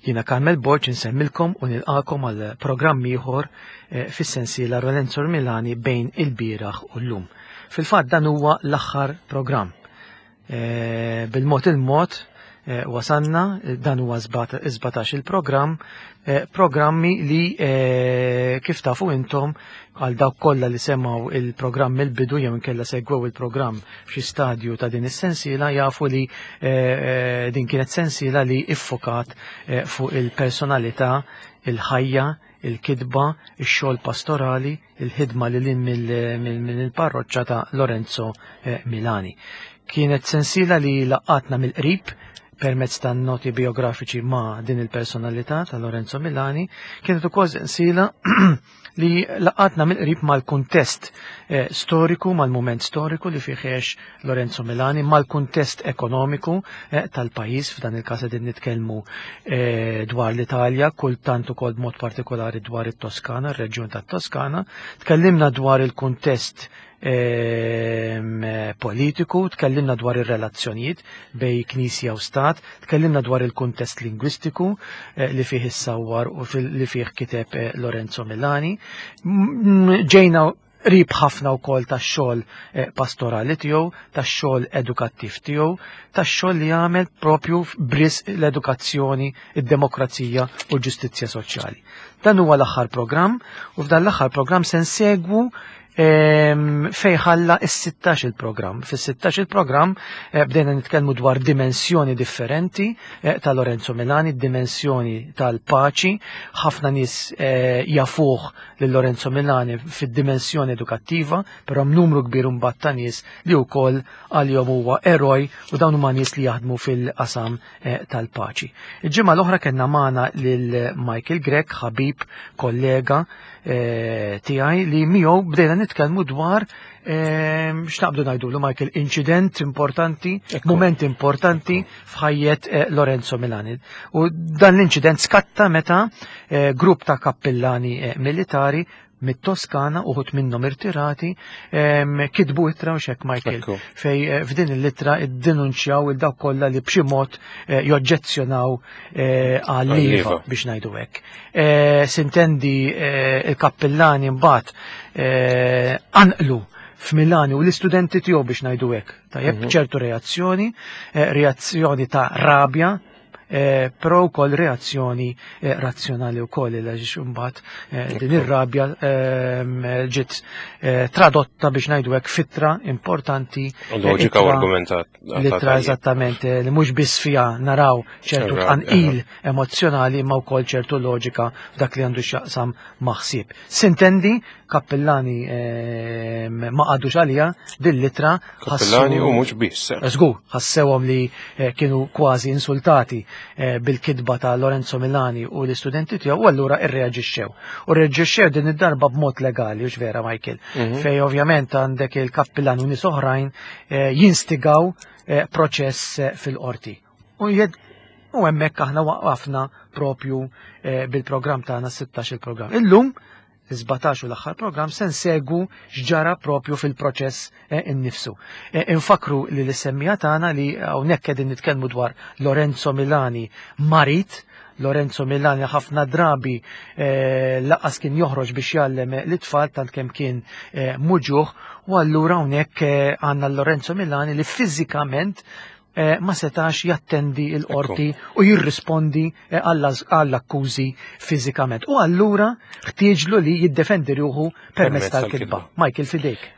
Jiena Carmel Borg insemmilkom u nilqakom għal programm ieħor eh, fis-sensiela Lorenzo Milani bejn il-bieraħ u llum. Fil-fatt dan huwa l-aħħar programm. Eh, bil-mod il-mod eh, wasanna, dan huwa 17 il-programm, programmi li kif tafu intom għal dawk kollha li semgħu il-programm mill-bidu jew inkella segwew il-programm f'xi stadju ta' din is-sensiela jafu li eh, eh, din kienet sensiela li iffokat eh, fuq il-personalità, il-ħajja, il-kitba, ix-xogħol pastorali, il-ħidma li lin mill-parroċċa ta' Lorenzo Milani. Kienet sensiela li laqatna mill-qrib permezz ta' noti biografiċi ma' din il-personalità ta' Lorenzo Milani, kienet ukoll sensiela li laqatna mill-qrib mal-kuntest eh, storiku, mal-mument storiku li fih għex Lorenzo Milani, mal-kuntest ekonomiku eh, tal-pajjiż, f'dan il-każ qegħdin nitkellmu eh, dwar l-Italja, kultant ukoll b'mod partikolari dwar it-Toskana, ir-reġjun tat-Toskana. Tkellimna dwar il-kuntest Ehm, politiku, tkellimna dwar ir-relazzjonijiet bej knisja u stat, tkellimna dwar il-kuntest lingwistiku eh, li fih issawwar u li fih kiteb eh, Lorenzo Milani. Ġejna qrib ħafna wkoll tax-xogħol eh, pastorali tiegħu, tax-xogħol edukattiv tiegħu, tax-xogħol li għamel propju bris l-edukazzjoni, id-demokrazija u l-ġustizzja soċjali. Dan huwa l-aħħar programm u f'dan l-aħħar programm se nsegwu Ehm, fej ħalla is-16 il-programm. Fis-16 il-programm eh, bdejna nitkellmu dwar dimensjoni differenti eh, ta' Lorenzo Milani, dimensjoni tal-paċi. Ħafna nies eh, jafuh lil Lorenzo Milani fid-dimensjoni edukattiva, però numru kbir mbagħad ta' nies li wkoll għalihom huwa eroj u dawn huma nies li jaħdmu fil-qasam tal-paċi. Il-ġimgħa l-oħra kellna magħna lil Michael Grech, ħabib, kollega, Eh, tiegħi li miegħu bdejna nitkellmu dwar eh, x'naqbdu ngħidulu Michael inċident importanti, moment importanti f'ħajjet eh, Lorenzo Milani. U dan l-inċident skatta meta grupp ta' kappillani militari mit-Toskana uħut minnhom irtirati kitbu ittra u xek Michael fej f'din l-ittra iddenunċjaw il dawk kollha li b'xi mod joġġezzjonaw għal-liva biex ngħidu hekk. Eh, sintendi eh, il-kappillani mbagħad eh, anqlu f'Milani u l-istudenti tiegħu biex ngħidu hekk. Tajjeb mhm. ċertu reazzjoni, reazzjoni ta' rabja, però wkoll reazzjoni razzjonali wkoll il għax imbagħad din ir-rabja ehm, ġiet tradotta biex ngħidu hekk fitra importanti. Loġika u argumentat. L-ittra eżattament li mhux biss fiha naraw ċertu tqanqil emozzjonali imma wkoll ċertu loġika f'dak li għandu x'jaqsam maħsieb. Sintendi, kappillani ehm, ma qadux għalija din l-ittra. Kappillani u mhux biss. Eh, żgur, ħassewhom li eh, kienu kważi insultati eh, bil-kitba ta' Lorenzo Milani u l-istudenti tiegħu u allura irreaġixxew. U reaġixxew din id-darba b'mod legali, u vera Michael, mhm. fej ovvjament għandek il-kappillan u nies oħrajn jinstigaw proċess fil-qorti. U jed u hemmhekk aħna waqafna propju eh, bil-programm tagħna 16 il-programm. Illum 17 u l-aħħar programm se nsegwu x'ġara propju fil-proċess eh, innifsu. Eh, infakru li l-semmija tagħna li hawnhekk qegħdin nitkellmu dwar Lorenzo Milani marit, Lorenzo Milani ħafna drabi laqas kien joħroġ biex jgħallem l-itfal tant kemm kien muġuħ u allura hawnhekk għandna Lorenzo Milani li fiżikament Eh, ma setax jattendi il-qorti u jirrispondi eh, għall-akkużi fiżikament. U allura ħtieġlu li jiddefendi ruħu permezz tal-kitba. Michael, fidejk.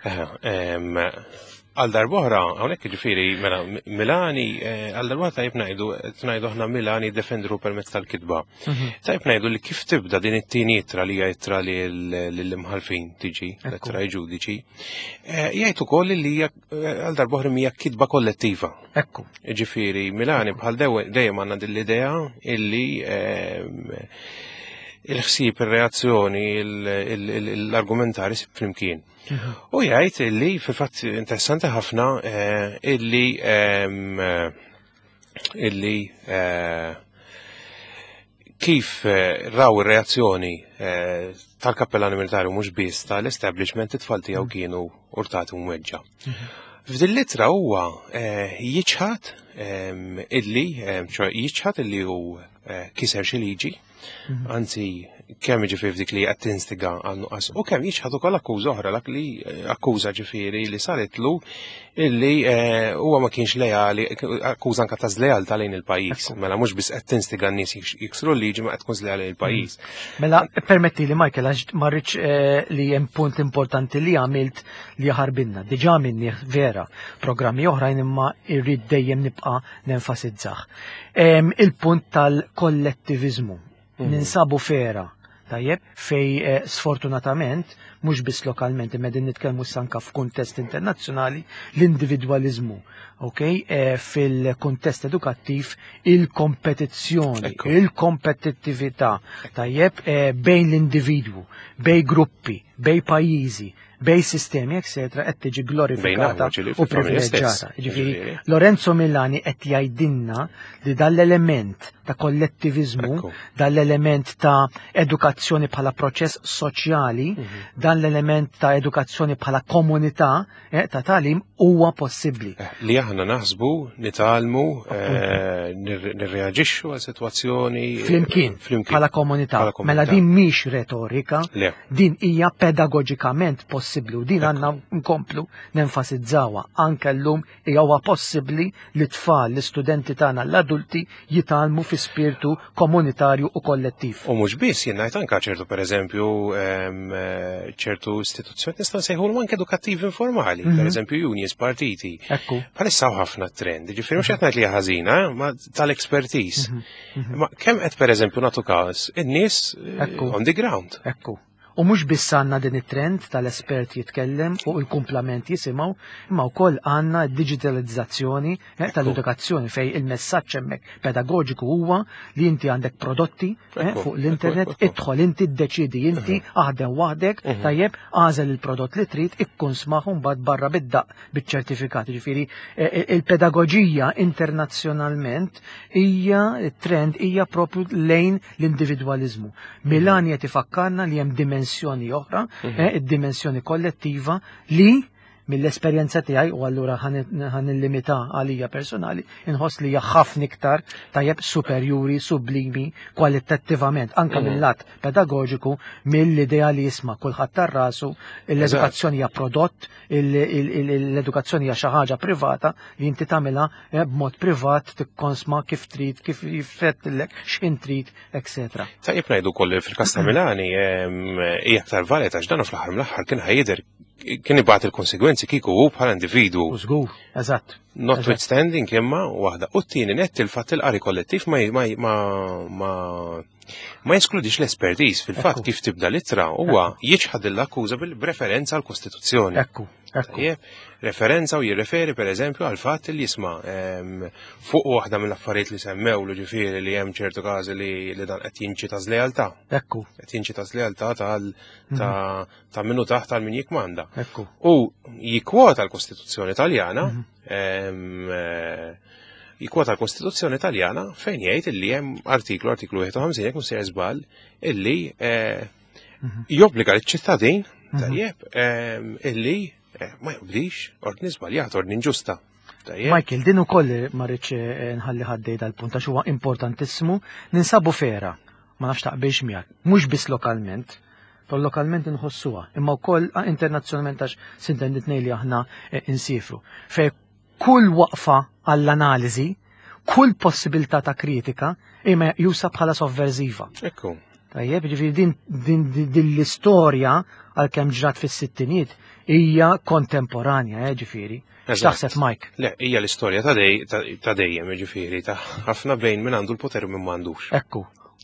Għal darbohra, hawnhekk ġifieri, mela Milani, eh, għal darbohra tajb ngħidu, ngħidu aħna Milani jiddefendru permezz tal-kitba. Mhm. Tajb ngħidu li kif tibda din it-tieni ittra li hija ittra lill-imħalfin tiġi, l-ittra ġudiċi, jgħid ukoll li hija għal darbohra mija kitba kollettiva. Ekku. Ġifiri, Milani bħal dejjem għandna din l-idea illi ehm, il-ħsieb, ir-reazzjoni, l-argumentari flimkien. Mhm. U jgħid illi fil-fatt interessanti ħafna eh, illi ehm, illi eh, kif eh, raw ir-reazzjoni eh, tal-kappellani militari mhux biss tal-establishment it-tfal tiegħu mm. kienu urtati u mweġġa. Mhm. F'din l-ittra huwa eh, jiċħad ehm, illi ehm, jiċħad illi hu kiser xi liġi, anzi kemm ġifieri f'dik li qed tinstiga għal nuqqas u kemm jiċħad ukoll akkuża oħra dak li akkuża ġifieri li saritlu illi huwa ma kienx leali, akkuża anke ta' żlealtà lejn il-pajjiż. Mela mhux biss qed tinstiga n-nies jiksru l-liġi ma qed tkun żleali lejn il-pajjiż. Mela permetti li Michael għax ma rridx li hemm punt importanti li għamilt li jaħarbinna. Diġà minni vera programmi oħrajn imma irrid dejjem nibqa' nenfasizzah. Il-punt tal-kollettivizmu. Ninsabu fera, tajjeb, fej sfortunatament, mhux biss lokalment, imma din nitkellmu issa anke f'kuntest internazzjonali, l-individwaliżmu, ok, fil-kuntest edukattiv, il-kompetizzjoni, il-kompetittività, tajjeb, bejn l-individwu, bejn gruppi, bejn pajjiżi, bejn sistemi, eccetera, qed tiġi glorifikata u privileġġjata. Ġifieri, Lorenzo Milani qed jgħidilna li dal-element ta' kollettivizmu, dal-element ta' edukazzjoni bħala proċess soċjali, dan l-element ta' edukazzjoni bħala komunità ta' tagħlim huwa possibbli. Li aħna naħsbu, nitgħallmu, nirreaġixxu għal sitwazzjoni flimkien, bħala komunità. Mela din mhix retorika, din hija pedagoġikament possibbli u din għandna nkomplu nenfasizzawha anke llum huwa possibbli li tfal, l-istudenti tagħna, l-adulti jitgħallmu fi spiritu komunitarju u kollettiv. U mhux biss, jien ngħid anke ċertu pereżempju ċertu istituzzjoni nistgħu nsejħulhom anke edukattivi informali, pereżempju unions, partiti. Bħalissa hawn ħafna trend, ġifieri mhux qed ngħid li hija ħażina, ma tal-expertise. Ma kemm qed pereżempju nagħtu każ in-nies on the ground. U mhux biss għandna din it-trend tal-espert jitkellem u l-kumplament jisimgħu, imma wkoll għandna digitalizzazzjoni tal-edukazzjoni fej il-messaġġ hemmhekk pedagogiku huwa li inti għandek prodotti fuq l-internet, idħol inti, ddeċidi inti, aħdem waħdek, tajjeb, għażel il-prodott li trid, ikkun smaħ mbagħad barra bid-daq biċ-ċertifikat. Ġifieri il-pedagoġija internazzjonalment hija trend hija propju lejn l-individwaliżmu. Milani qed ifakkarna li hemm dimensjoni oħra, id-dimensjoni kollettiva li mill-esperjenza tiegħi u allura ħan illimita għalija personali, inħoss li hija ħafna iktar tajjeb superjuri, sublimi, kwalitattivament, anke mill-lat pedagogiku, mill-idea li jisma' kulħadd tar-rasu, l-edukazzjoni hija prodott, l-edukazzjoni hija xi ħaġa privata li inti tagħmilha b'mod privat, tikkonsma kif trid, kif jifettilek, x'in trid, eccetera. Tajjeb ngħidu wkoll fil-każ ta' Milani hija aktar valida għax dan fl-aħħar mill-aħħar kien ħajjidher kien ibgħat il-konsegwenzi kieku hu bħala individwu. U żgur, eżatt. Notwithstanding imma waħda. U t-tieni nett il-fatt il-qari kollettiv ma jeskludix l-espertiż fil-fatt kif tibda l-ittra huwa jiċħad l-akkuża bil-referenza għall-Kostituzzjoni. Ekku. Referenza u jirreferi per eżempju għal fatt li jisma' fuq waħda mill-affarijiet li semmew li ġifieri li hemm ċertu każi li dan qed jinċita żlealtà. Qed jinċita żlealtà ta' minnu taħt għal min jikmanda. U jikkwota l-Kostituzzjoni Taljana, jikkwota l-Kostituzzjoni Taljana fejn jgħid illi hemm artiklu 51 jekk mhux sejjer żball, illi jobbliga liċ-ċittadin, tajjeb, illi ma jobdix ordni żbaljat, ordni inġusta. Tajjeb. Michael, din ukoll ma rridx nħalli ħaddej dal-punt għax huwa importantissimu, ninsabu fera, ma nafx taqbilx miegħek, mhux biss lokalment, però lokalment inħossuha, imma wkoll internazzjonalment għax sintendi tnejn li aħna insifru. Fej kull waqfa għall-analiżi, kull possibilità ta' kritika imma jusa bħala sovverżiva. Tajjeb, ġifieri din l-istorja għalkemm ġrat fis-sittiniet hija kontemporanja, ġifieri. X'taħseb, Mike? Le, hija l-istorja ta' dejjem, ġifieri, ta' ħafna bejn min għandu l-poter u min m'għandux.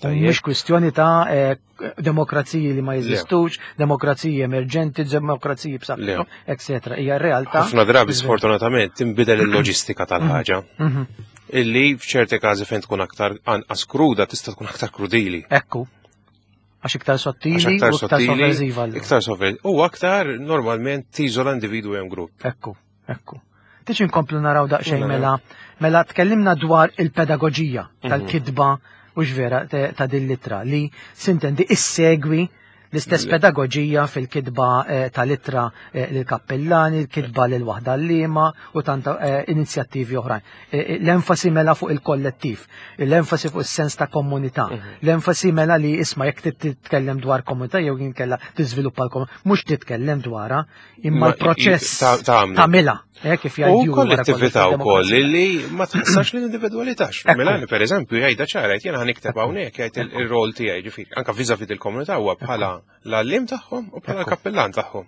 Tajjeb. Mhux kwistjoni ta' demokraziji li ma jeżistux, demokraziji emerġenti, demokraziji b'saħħithom, eccetera. Hija realtà. Ħafna drabi sfortunatament tinbidel il-loġistika tal-ħaġa. Illi f'ċerti każi fejn tkun aktar anqas kruda tista' tkun aktar krudili. Għax iktar sottili Għax aktar u iktar sottili, sovversiva allura. Iktar sovversiva. U aktar normalment tiżola individwu jew grupp. Ekku. Tiġi nkomplu naraw daqsxejn Mela. mela tkellimna dwar il-pedagoġija tal-kitba u x'vera ta' din l-ittra li sintendi issegwi L-istess pedagoġija fil-kitba tal-ittra lill-kappillani, l-kitba lil waħda l-liema u tant inizjattivi oħrajn. L-enfasi mela fuq il-kollettiv, l-enfasi fuq is-sens ta' komunità, l-enfasi mela li isma' jekk titkellem dwar komunità jew inkella tiżviluppa l-komunità, mhux titkellem dwarha, imma l-proċess tagħmilha. Kif jgħidu. U kollettività wkoll li ma tħassarx l-individwalità. Milani pereżempju jgħidha ċara jgħid jiena ħanikteb hawnhekk jgħid ir-rol tiegħi ġifieri anke viżavi il-komunità huwa bħala l-għalliem tagħhom u bħala l-kappillan tagħhom.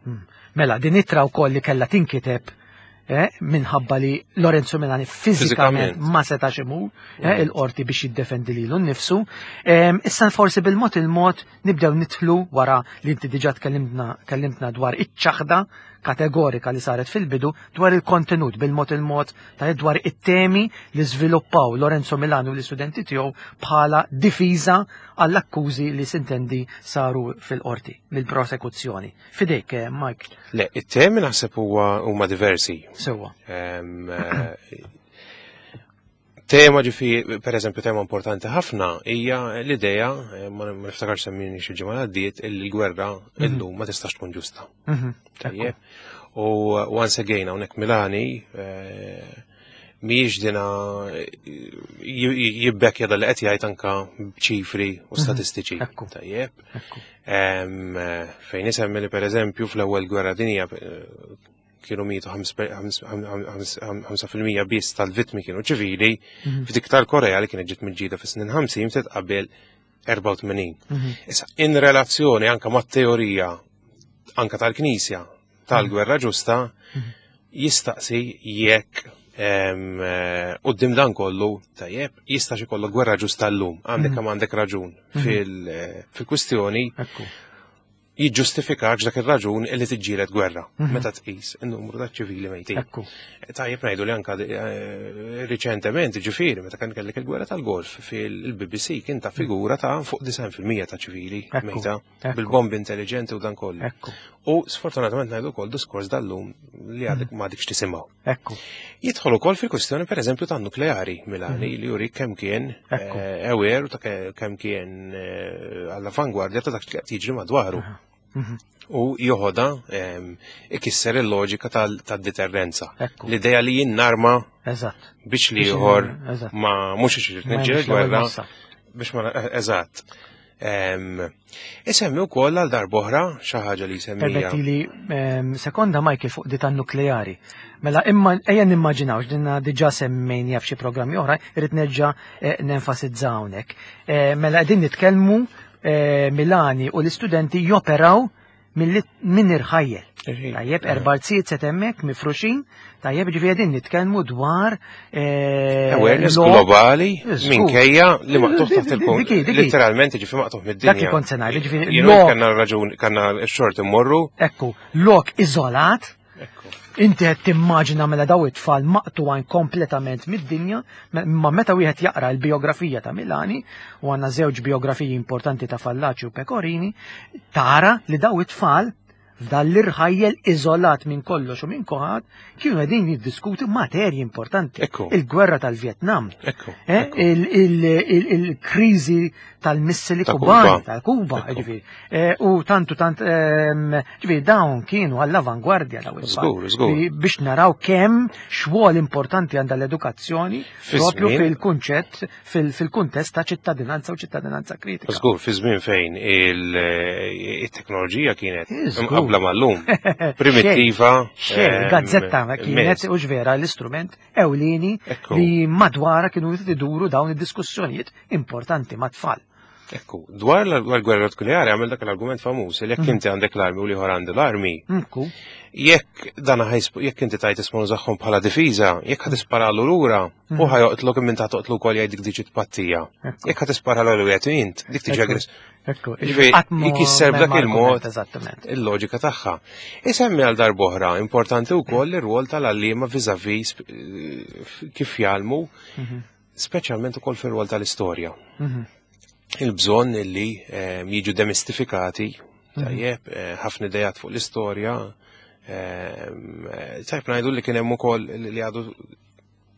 Mela din ittra wkoll li kellha tinkiteb minħabba li Lorenzo Milani fiżikament ma setax imur il-qorti biex jiddefendi lilu nnifsu. Issa forsi bil-mod il-mod nibdew nidħlu wara li inti diġà tkellimtna dwar iċ-ċaħda kategorika li saret fil-bidu dwar il-kontenut bil-mod il-mod ta' dwar it-temi li żviluppaw Lorenzo Milani u l-istudenti tiegħu bħala difiża għall-akkużi li sintendi saru fil-qorti mill-prosekuzzjoni. Fidejk, Mike. Le, it-temi naħseb huma diversi. Sewwa. Tema ġifi, per eżempju, tema importanti ħafna hija l-idea, ma niftakarx semmini xi ġimgħa għaddiet, illi l-gwerra illum ma tistax tkun ġusta. Tajjeb. U once again hawnhekk Milani mhijiex dina jibbekkja dal li qed jgħid anka b'ċifri u statistiċi. Tajjeb. Fejn isemmi li per eżempju fl-ewwel gwerra dinja kienu mietu 5% biss tal-vittmi kienu ċivili, f'dik tal-Korea li kienet ġiet miġġielda fis-snin 50 ftit qabel 84. Issa, in relazzjoni anka mat-teorija anka tal-Knisja tal-gwerra ġusta, jistaqsi jekk quddiem dan kollu, tajjeb, jistax ikollok gwerra ġusta llum, għandek kemm għandek raġun fil-kwistjoni. Jiġġustifikax dak ir-raġun illi tiġġieled gwerra meta tqis in-numru ta' ċivili mejtin. Tajjeb ngħidu li anka riċentement, ġifieri, meta kien kellek il-gwerra tal-Golf fil-BBC kien ta' figura ta' fuq 90% ta' ċivili mejta bil-bombi intelligenti u dan kollu. U sfortunatament ngħidu wkoll diskors dal-lum li għadek ma għadekx tisimgħu. Jidħol ukoll fil-kwistjoni pereżempju tan-nukleari Milani li juri kemm kien aware u ta' kemm kien għall-avangwardja ta' dak li qed jiġri madwaru. U joħodha ikisser il-loġika tad-deterrenza. L-idea li jien narma biex li ieħor ma mhux irid niġġieled gwerra biex ma eżatt. Isemmi wkoll għal darb'oħra xi ħaġa li jsemmija. Permetti li sekonda Michael fuq di tan-nukleari. Mela imma ejja nimmaġinaw x'dinna diġà semmejnija f'xi programmi oħra, irrid nerġa' nenfasizza hawnhekk. Mela qegħdin nitkellmu Milani u l-istudenti joperaw minn irħajjel. Tajjeb, erba' arzijiet set hemmhekk mifruxin, tajjeb, ġifieri qegħdin nitkellmu dwar awareness globali minkejja li maqtuħ taħt il-punt. Literalment ġifieri maqtuħ mid-dinja. Dak kont se ngħid, ġifieri Jien kellna raġun, kellna x-xort immorru. Ekku, lok iżolat. Inti qed timmaġina mela daw it-tfal maqtugħin kompletament mid-dinja, ma meta wieħed jaqra l-biografija ta' Milani, u għandna żewġ biografiji importanti ta' Fallaci u Pecorini, tara li daw it-tfal f'dan l-irħajjel iżolat minn kollox u minn kulħadd kienu qegħdin jiddiskutu materji importanti. Il-gwerra tal-Vjetnam, il-kriżi tal-missili kubani, tal-Kuba, ġifieri. U tantu tant, ġifieri dawn kienu għall-avangwardja dawn it-tfal. Żgur, żgur. Biex naraw kemm xogħol importanti għandha l-edukazzjoni propju fil-kunċett, fil-kuntest ta' ċittadinanza u ċittadinanza kritika. Żgur, fi żmien fejn it-teknoloġija kienet mqabbla mal-lum, primittiva. Xejn, gazzetta kienet u ġvera l-istrument ewlieni li madwara kienu iduru dawn id-diskussjonijiet importanti mat-tfal. Ekku, dwar l-gwerra nukleari għamel dak l-argument famuż li jekk inti għandek l-armi u l-ieħor għandu l-armi. Jekk dan jekk inti tajt isma' nużahom bħala difiża, jekk ħad tisparalu lura, u ħajoqtlok minn ta' toqtlu wkoll jgħid dik diġi tpattija. Jekk ħad tisparalu jgħid int, dik tiġi aggress. Ġifieri, jkisser b'dak il-mod il-loġika tagħha. Isemmi għal darb'oħra, importanti wkoll ir-rwol tal-għalliema vis-à-vis kif jgħallmu, speċjalment ukoll fir-rwol tal-istorja. Il-bżonn illi jiġu demistifikati, tajjeb, ħafna idejat fuq l-istorja, tajjeb ngħidu li kien hemm ukoll li għadu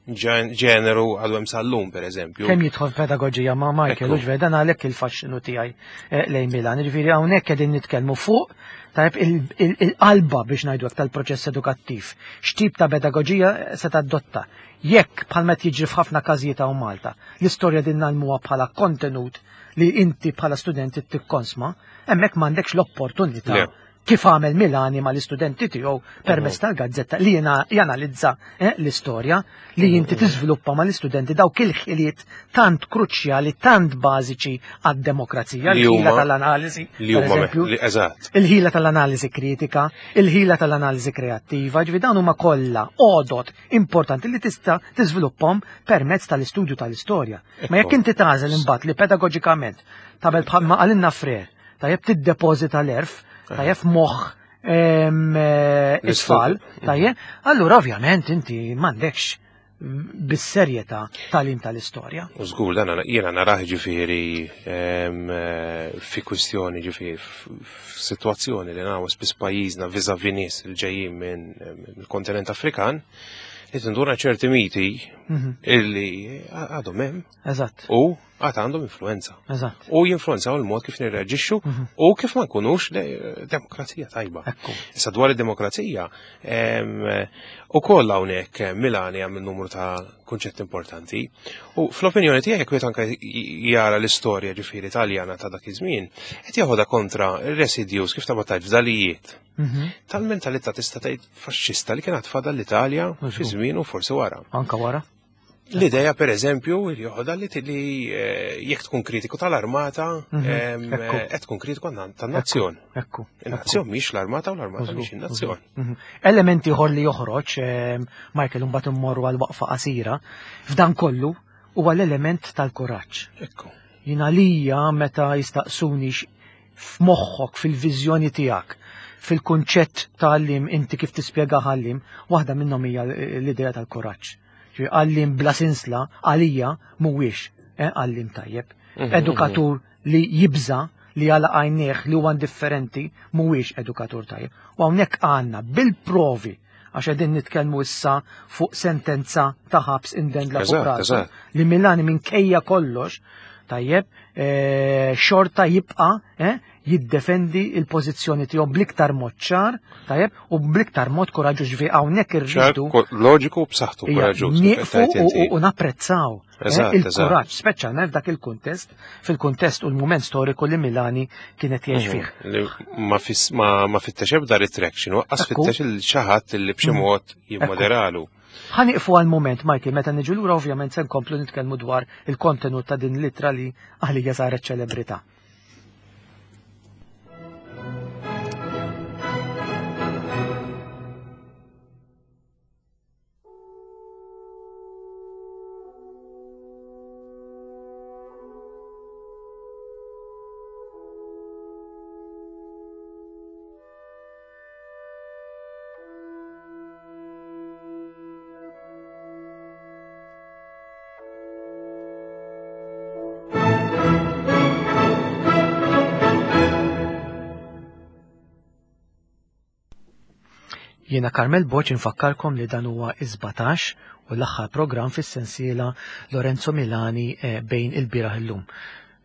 ġeneru għadu hemm sal-lum, per eżempju. Kemm jidħol pedagoġija ma' Michael, u ġveri dan għalhekk il-faxxinu tiegħi eh, lejn Milan. Ġifieri hawnhekk qegħdin nitkellmu fuq tajb il-qalba biex ngħidu tal-proċess edukattiv. X'tip ta' pedagoġija se tadotta? Jekk bħalma qed jiġri f'ħafna każijiet hawn Malta, l-istorja din nagħlmuha bħala kontenut li inti bħala studenti tikkonsma, hemmhekk m'għandekx l-opportunità kif għamel Milani mal-istudenti tiegħu permezz mhm. tal-gazzetta li janalizza eh, l-istorja li mhm, inti mhm. tiżviluppa mal-istudenti dawk il-ħiliet tant kruċjali, tant bażiċi għad-demokrazija, il-ħila tal-analiżi, il-ħila tal-analiżi kritika, il-ħila tal-analiżi kreattiva, ġifi dawn huma kollha għodot importanti li tista' tiżviluppahom permezz tal-istudju tal-istorja. Ma jekk inti tagħżel imbagħad li pedagoġikament tabel bħalma qalilna Frer, tajjeb tiddepożita l-erf, tajjeb moħħ eh, it-tfal, tajjeb, allura ovvjament inti m'għandekx bis-serjetà tagħlim tal-istorja. U żgur dan jiena narah ġifieri eh, fi kwistjoni ġifieri f'sitwazzjoni li naw spiss pajjiżna viżavi nies li ġejjin minn mill-kontinent Afrikan li tinduna ċerti miti mhm. illi għadhom hemm. Eżatt. U għad għandhom influenza. Eżatt. U jinfluenzaw il-mod kif nirreaġixxu mhm. u kif ma nkunux demokrazija tajba. Issa dwar id-demokrazija, u koll hawnhekk Milani għamil numru ta' kunċett importanti. U fl-opinjoni tiegħek wieħed anke jara l-istorja ġifieri Taljana ta' dak iż-żmien, qed jeħodha kontra residues kif ta' tajt fdalijiet. Mhm. Tal-mentalità tista' tgħid faxxista li kienet fadal l-Italja fi żmien u forsi wara. Anka wara. L-ideja per eżempju li joħodha li li eh, jekk tkun kritiku tal-armata, mhm. eh, qed tkun kritiku tan-nazzjon. Ekku. Il-nazzjon mhix l-armata u l-armata mhix in-nazzjon. Mhm. Elementi ieħor li joħroġ, Michael mbagħad immorru għal waqfa qasira, f'dan kollu huwa l-element tal-kuraġġ. Ekku. Jien għalija meta jistaqsuni f'moħħok, fil-viżjoni tiegħek, fil-kunċett ta' għalliem inti kif tispjega għalliem, waħda minnhom hija l-idea tal-kuraġġ. Għalliem bla sinsla għalija mhuwiex eh, għalliem tajjeb. Mhm, edukatur mhm. li jibża li għala għajnieh li huwa indifferenti mhuwiex edukatur tajjeb. U hawnhekk għandna bil-provi għax qegħdin nitkellmu issa fuq sentenza ta' ħabs indendla fuq rasu li Milani minkejja kollox tajjeb eh, xorta jibqa' eh, jiddefendi il-pożizzjoni tiegħu bl-iktar mod ċar, tajjeb, u bl-iktar mod kuraġġuż ġifieri hawnhekk irridu. Loġiku b'saħħtu kuraġġuż. Nieqfu u napprezzaw eh, il-kuraġġ, speċjalment f'dak il-kuntest, fil-kuntest u l-mument storiku li Milani kienet jgħix mhm. fih. Ma fittex ebda retraction, waqqas fittex il-xaħat li b'xi mhm. mod jimmoderalu. Ħa nieqfu għal mument, Michael, meta niġu lura ovvjament se nkomplu nitkellmu dwar il-kontenut ta' din l-ittra li għalija saret ċelebrità. Jiena Carmel Boċ infakkarkom li dan huwa is-17 u l-aħħar programm fis-sensiela Lorenzo Milani eh, bejn il-bieraħ illum.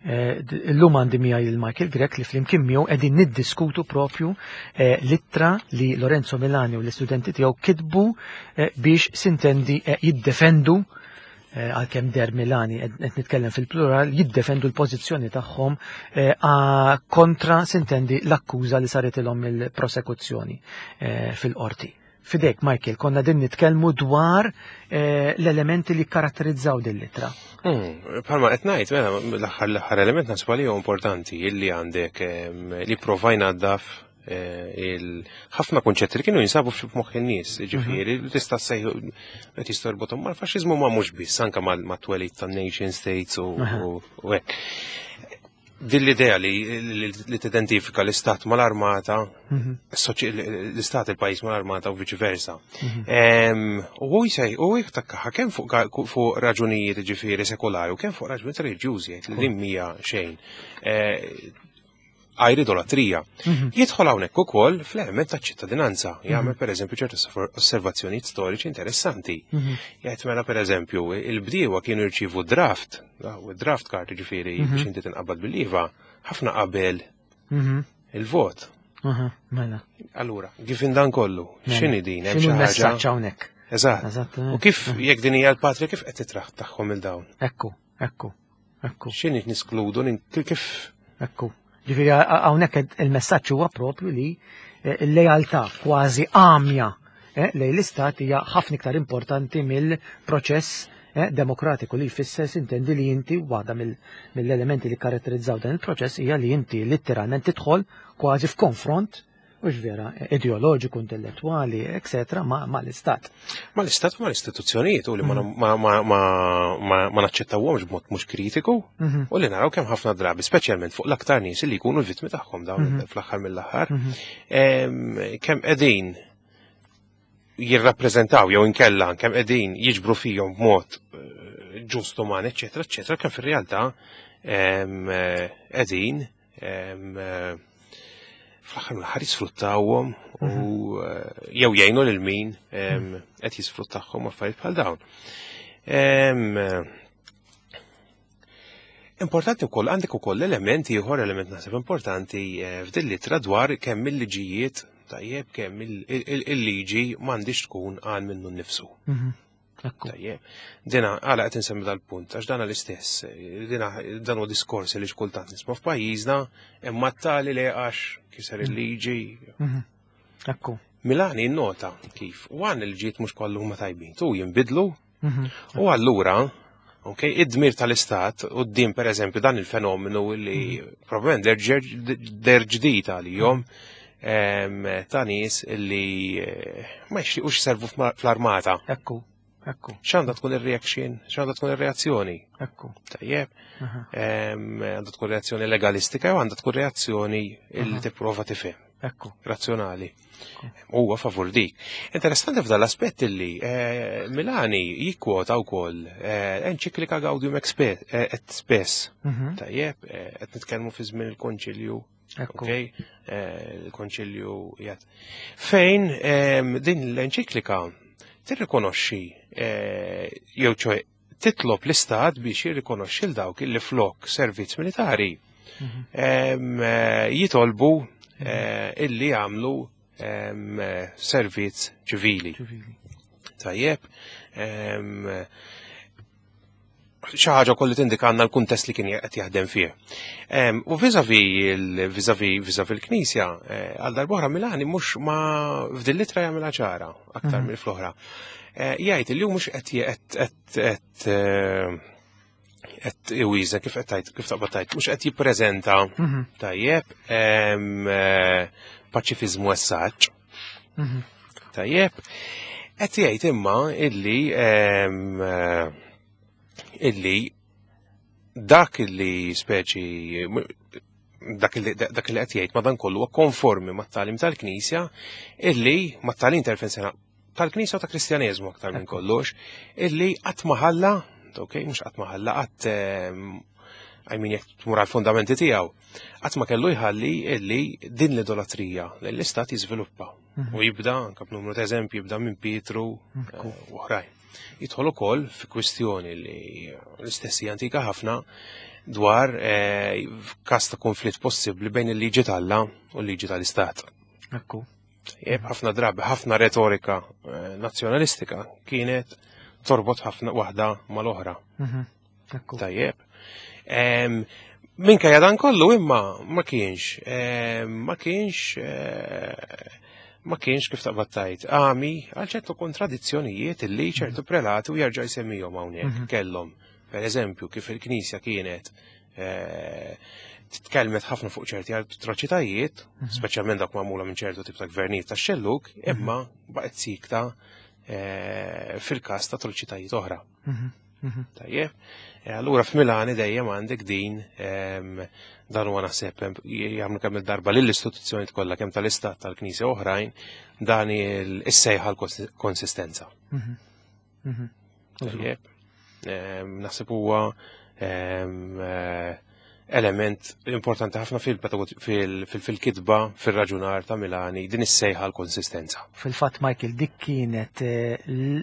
Eh, illum għandi miegħi il Michael Grech li flimkien miegħu qegħdin niddiskutu propju eh, l-ittra li Lorenzo Milani u l-istudenti tiegħu kitbu eh, biex sintendi jiddefendu għalkemm der Milani qed nitkellem fil-plural jiddefendu l-pożizzjoni tagħhom kontra sintendi l-akkuża li saritilhom il-prosekuzzjoni fil-qorti. Fidejk, Michael, konna din nitkellmu dwar eh, l-elementi li karatterizzaw din l-ittra. Hmm, palma qed ngħid, mela l-aħħar l-aħħar element naħseb li huwa importanti illi għandek li provajna daf eh, il-ħafna kunċetti li kienu jinsabu f'moħħ in-nies, ġifieri mhm. tista' sejħu qed jistorbothom mal-faxxiżmu ma mhux biss anke mat-twelid tan-nation states u hekk. Din l-idea li, li tidentifika l-istat mal-armata, mhm. l-istat il-pajis mal-armata u viċi versa. Mhm. U hu jsej, u jittakkaħa kemm fuq raġunijiet ġifieri sekolari u kemm fuq raġunijiet reliġjużi li mija xejn. Eh, għajr idolatrija. Jidħol hawnhekk ukoll fl-element taċ-ċittadinanza, jagħmel pereżempju ċertu osservazzjonijiet storiċi interessanti. Jgħid mela pereżempju il-bdiewa kienu jirċievu draft, u draft card ġifieri biex inti tinqabad bil-IVA, ħafna qabel il-vot. Mela. Allura, given dan kollu, Mela. x'inhi din hemm X'inhu xi ħaġa? l-messaġġ hawnhekk? Eżatt. Eżattament. U kif jekk din hija l-patria kif qed titraħ tagħhom il dawn? Ekku, ekku, ekku, X'inhi niskludu kif ekku. Ġifieri hawnhekk il-messaġġ huwa propju li l-lealtà kważi għamja lejn l-istat hija ħafna iktar importanti mill-proċess demokratiku li jfisser sintendi li inti waħda mill-elementi li karatterizzaw dan il-proċess hija li inti letteralment tidħol kważi f'konfront u vera ideoloġiku, intellettwali, eccetera, ma l-istat. Ma l-istat u ma l-istituzzjonijiet u li ma naċċettawhomx b'mod mhux kritiku u li naraw kemm ħafna drabi, speċjalment fuq l-aktar nies li jkunu l-vittmi tagħhom dawn fl-aħħar mill-aħħar, kemm qegħdin jirrappreżentaw jew inkella kemm qegħdin jiġbru fihom b'mod ġust uman, eċċetera, eċċetera, kemm fir-realtà qegħdin fl-aħħar mill-aħħar jisfruttawhom u jew jgħinu lil min qed jisfruttahom affarijiet bħal dawn. Importanti wkoll għandek ukoll element ieħor, element naħseb importanti f'din l-ittra dwar kemm il-liġijiet tajjeb kemm il-liġi m'għandix tkun għan minnu nnifsu. Ekku. Tajjeb. Dina għala qed insemmi dal-punt għax dana l-istess. Dina dan huwa diskors li xkultant nisma' f'pajjiżna imma tali li għax kiser il-liġi. Ekku. Milani nota kif u għan il-ġiet mhux kollu huma tajbin, tu jinbidlu u allura ok, id-dmir tal-istat u d-din per eżempju dan il-fenomenu li probablement der ġdid għalihom ta' nies li ma jixtiequx servu fl-armata. Ekku, ekku. X'għandha tkun ir-reaction? X'għandha tkun ir-reazzjoni? Ekku. Tajjeb. Għandha tkun reazzjoni legalistika jew għandha tkun reazzjoni li tipprova tifhem. Ekku. Razzjonali. Huwa favur dik. Interessanti f'dan l-aspett li Milani jikkwota wkoll enċiklika Gaudium et Spes. Tajjeb, qed nitkellmu fi żmien il-Konċilju. Ekku. Ok, il-Konċilju jgħid. Fejn din l-enċiklika tirrikonoxxi jew ċoe titlob l-istat biex jirrikonoxxi l dawk li flok servizz militari jitolbu illi jagħmlu servizz ċivili. Ċivili. Tajjeb. Xi ħaġa kolli tindika għandna l-kuntest li kien qed jaħdem fih. U vis-a-vis il-Knisja, għal darb'oħra Milani mhux ma f'din l-ittra jagħmilha ċara aktar mill fl-oħra. Jgħid li hu mhux qed qed iwiża kif qed tgħid, kif taqbad tgħid, mhux qed jippreżenta tajjeb paċifiżmu essaġġ. Tajjeb. Qed jgħid imma illi dak illi speċi dak illi dak li qed jgħid madankollu huwa konformi mat-tagħlim tal-Knisja illi mat-tagħlim tal-sena tal-Knisja u ta' Kristjaneżmu aktar minn kollox illi qatt ma ħalla, ok, mhux qatt ma ħalla, qatt I mean, jekk tmur għall-fondamenti tiegħu, qatt ma kellu jħalli illi din l-idolatrija li l-istat jiżviluppa u jibda anke b'numru ta' eżempji jibda minn Pietru u oħrajn. Jidħol ukoll fi kwistjoni li l-istess hija antika ħafna dwar każ ta' konflitt possibbli bejn il-liġi t'Alla u l-liġi tal-Istat. Ekku. Jeb, ħafna drabi, ħafna retorika nazzjonalistika kienet torbot ħafna waħda mal-oħra. Ekku. Tajjeb. Minkejja dan kollu imma ma kienx, ma kienx, ma kienx kif taqbad tajt. Għami għal ċertu kontradizzjonijiet illi ċertu prelati u jerġa' jsemmihom hawnhekk kellhom. Per eżempju, kif il-Knisja kienet titkellmet ħafna fuq ċerti atroċitajiet, speċjalment dak magħmula minn ċertu tip ta' gvernijiet tax-xellug, imma baqgħet sikta fil-każ ta' atroċitajiet oħra. Tajjeb. Allura f'Milani dejjem għandek din dan huwa naħseb jagħmlu kemm il-darba lill-istituzzjoni kollha kemm tal-Istat tal-Knisja oħrajn dan is-sejħa l-konsistenza. Tajjeb. Naħseb huwa element importanti ħafna fil-kitba, fil-raġunar ta' Milani, din is-sejħa l-konsistenza. Fil-fatt Michael, dik kienet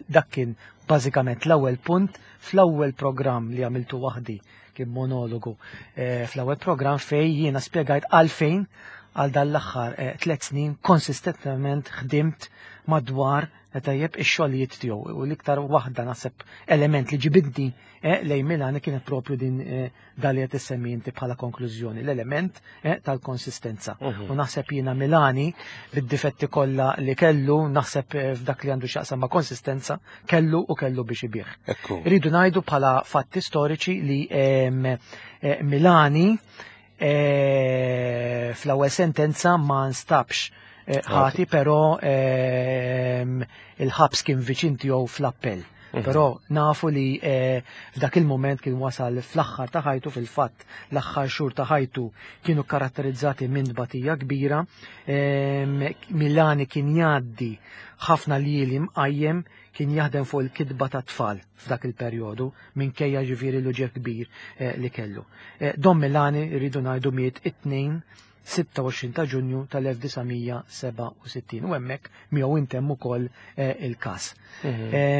dak kien bażikament l-ewwel punt fl-ewwel programm li għamiltu waħdi kien monologu fl-ewwel programm fej jiena spjegajt għalfejn għal dan l-aħħar 3 snin konsistentement ħdimt madwar tajjeb ix-xogħlijiet tiegħu u l-iktar waħda naħseb element li ġibidni lejn Milani kienet propju din dan li qed issemmi inti bħala konklużjoni, l-element tal-konsistenza. U naħseb jiena Milani bid-difetti kollha li kellu, naħseb f'dak li għandu x'jaqsam ma' konsistenza, kellu u kellu biex ibih. Rridu ngħidu bħala fatti storiċi li Milani fl-ewwel sentenza ma nstabx ħati, però il-ħabs kien viċin tiegħu fl-appell. Però nafu li f'dak il-moment kien wasal fl-aħħar ta' ħajtu, fil-fatt l-aħħar xhur ta' ħajtu kienu karatterizzati minn tbatija kbira. Milani kien jgħaddi ħafna ljieli mqajjem, kien jaħdem fuq il-kitba ta' tfal f'dak il-perjodu, minkejja ġifieri l-uġigħ kbir li kellu. Don Milani rridu ngħidu miet it-tnejn 26 ta' Ġunju tal-1967 u hemmhekk miegħu intemm ukoll il-każ.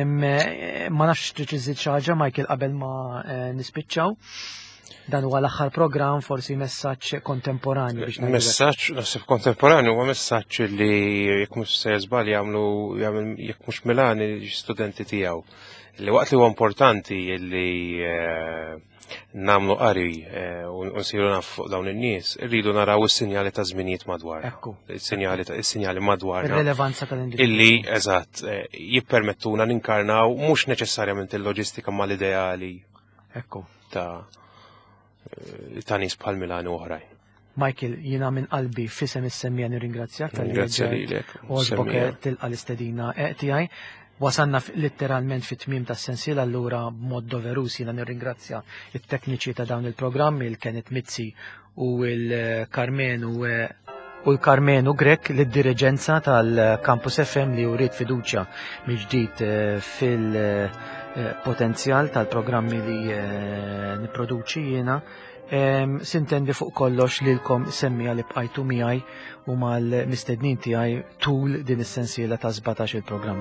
Ma nafx trid iżid xi ħaġa Michael qabel ma nispiċċaw. Dan huwa l-aħħar programm, forsi messaġġ kontemporanju biex ngħidu hekk. Messaġġ naħseb kontemporanju huwa messaġġ li jekk mhux se żball jagħmlu jekk mhux Milani studenti tiegħu. Li waqt li huwa importanti li namlu qari u nsiru naf fuq dawn in-nies, irridu naraw is-sinjali ta' żminijiet madwar. Is-sinjali madwar. Ir-relevanza tal-individwu. Illi, eżatt, jippermettuna ninkarnaw mhux neċessarjament il-loġistika mal-ideali. Ta' nies bħal Milani u oħrajn. Michael, jiena minn qalbi fisem is-semmija nirringrazzjak tal-li Ringrazzja ġejt lilek, u għoġbok semmija. tilqa' l-istedina tiegħi. Wasanna letteralment fit-tmiem tas-sensiela, allura b'mod doverus jiena nirringrazzja it-tekniċi ta' dawn il-programmi, il-Kenneth Mizzi u l-Karmenu u l-Karmenu Grech, lid-diriġenza tal-Campus FM li uriet fiduċja mill-ġdid fil-potenzjal tal-programmi li nipproduċi jiena. Sintendi fuq kollox lilkom semmija li bqajtu miegħi u mal-mistednin tiegħi tul din is-sensiela ta' 17 il-programm.